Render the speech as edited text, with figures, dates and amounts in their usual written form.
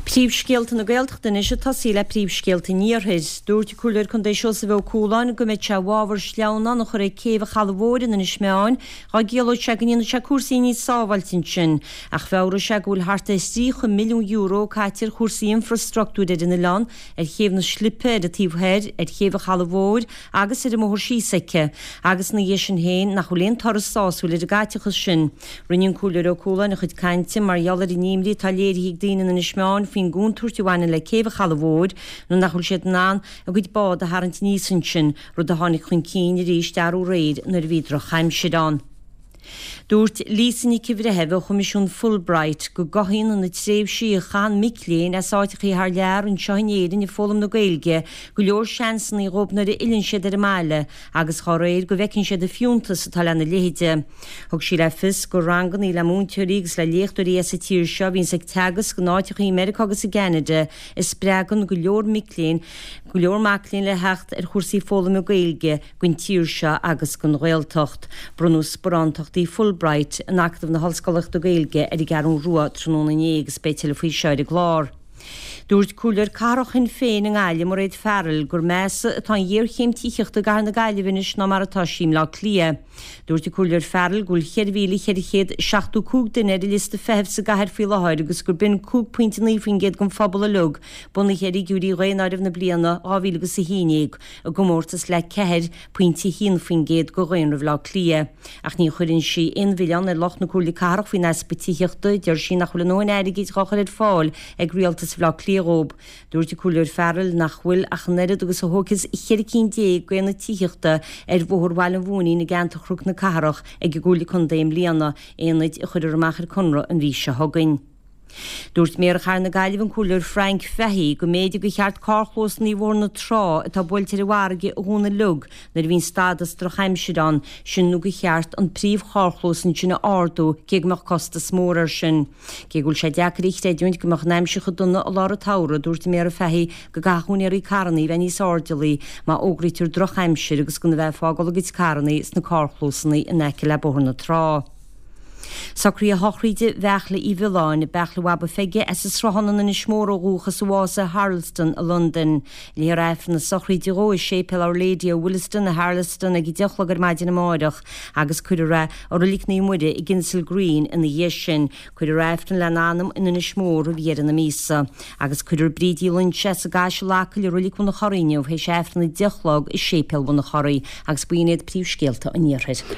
Príomhscéalta na Gaeltachta anois ag tosaí le príomhscéalta an Iarthair. Dúirt an Comhairleoir Contae Seosamh Ó Cualáin go mbeadh sé i bhfabhar sleamhnán a chur ag céibh an Chalaidh Mhóir in Inis Meáin dá gciallódh sé go ndéanfadh sé cúrsaí níos sábháilte ansin. Ach mheabhraigh sé go bhfuil thart ar €30 milliún caite ar chúrsaí infrastructúir ar an oileán, ar chéibh na Slipe ar an taobh thoir, ar chéibh an Chalaidh Mhóir agus ar an mbóthar síos aici, agus ina dhiaidh sin féin nach bhfuil aon toradh sásúil ar an gcaiteachas sin. Rinne an Comhairleoir Ó Cualáin a chuid cainte mar gheall ar an imní atá léirithe ag daoine in Inis Meáin faoin gcontúirt a bhaineann le céibh an Chalaidh Mhóir nuair nach bhfuil siad in ann a gcuid bád a tharraingt aníos ansin, rud a tháinig chun cinn arís arú aréir nuair a bhí drochaimsir ann. Dúirt Lisa Nic an Bhreithimh ó Choimisiún Fulbright go gcothaíonn na tréimhsí a chaitheann mic léinn as áiteachaí thar lear anseo in Éirinn ag foghlaim na Gaeilge go leor seansanna dhóibh nuair a fhilleann siad ar an mbaile agus dá réir go bhfeiceann siad an fiúntas atá lena leithéide. Thug sí le fios gur rangannaí le múinteoirí agus le léachtóirí as an tír seo a bhíonns ag teagasc in áiteachaí i Meiriceá agus i gCeanada a spreagann go leor mic léinn go leor mac léinn le theacht ar chúrsaí foghlaime Gaeilge don tír seo agus don Ghaeltacht. Bronnadh sparántachtaí Fulbright in Acadamh na hOllscolaíochta Gaeilge ar an gCeathrú Rua tráthnóna inné agus beidh tuilleadh faoi seo ar an gclár. Dúirt Comhairleoir Cathrach Shinn Féin i nGaillimh, Mairéad Farrell, gur measa atá an ghéarchéim tithíochta i gcathair na Gaillimhe anois ná mar atá sí i mBleá Cliath. Dúirt an Comhairleoir Farrell go bhfuil 4,475 duine ar an liosta feithimh sa gcathair faoi láthair agus gur b'in 5.9% den phobal uilig, bunaithe ar fhigiúirí dhaonáireamh na bliana 2011. i gcomórtas le 4.1% de dhaonra Bhaile Átha Cliath. Ach ní chuireann sí aon mhilleán ar lucht na Comhairle Cathrach faoin easpa tithíochta, deir sí nach bhfuil a ndóthain airgid dhá chur ar fáil ag rialtas Bhaile Átha Cliath dhóibh. Dúirt an Comhairleoir Farrell nach bhfuil ach an oiread agus a thógfas cheithre cinn d'aonaid tithíochta ar Bhóthar Bhaile an Mhóinín i gceantar Chnoc na Cathrach ag an gComhairle Contae i mbliana, aonaid a chuirfear amach ar conradh an mhí seo chugainn. Dúirt Méara Chathair na Gaillimhe, an Comhairleoir Frank Fahey, go mb'fhéidir gur cheart carrchlósanna Bhóthar na Trá atá buailte ar an bhfarraige a dhúnadh uilig nuair a bhíonn stádas drochaimsire ann, sin nó gur cheart an príomh-charrchlós ansin a ardú cé go mbeadh costas mór air sin. Cé go bhfuil sé deacair a chreidiúint go mbeadh an aimsir chomh dona i lár an tsamhraidh, dúirt an Méara Fahey go gcaithfeadh úinéirí carrannaí bheith níos airdeallaí má fhógraítear drochaimsir agus gan a bheith ag fágáil a gcuid carrannaí sna carrchlósanna in aice le Bóthar na Trá. Socruithe shochraide Bheartla Uí Mhiolláin, Beartla Bhaba Pheige, as an Sruthán in Inis Mór ó dhúchas a bhásaigh i Harlesden i Londain. Léifear Aifreann na sochraide dhó i Séipéal Our Lady of Willesden i Harlesden ag 10 a chlog ar maidin amáireach agus cuirfear é i Roilig Naomh Muire i gKensal Green ina dhiaidh sin. Cuirfear Aifreann lena anam in Inis Mór roimh dheireadh na míosa. Agus cuirfear Bríd Uí Loingsigh as an gCaiseal Acaill i Roilig Bhun an Chorraigh inniu théis Aifreann 10 a chlog i Séipéal Bhun an Chorraigh agus b'in iad príomhscéalta an Iarthair.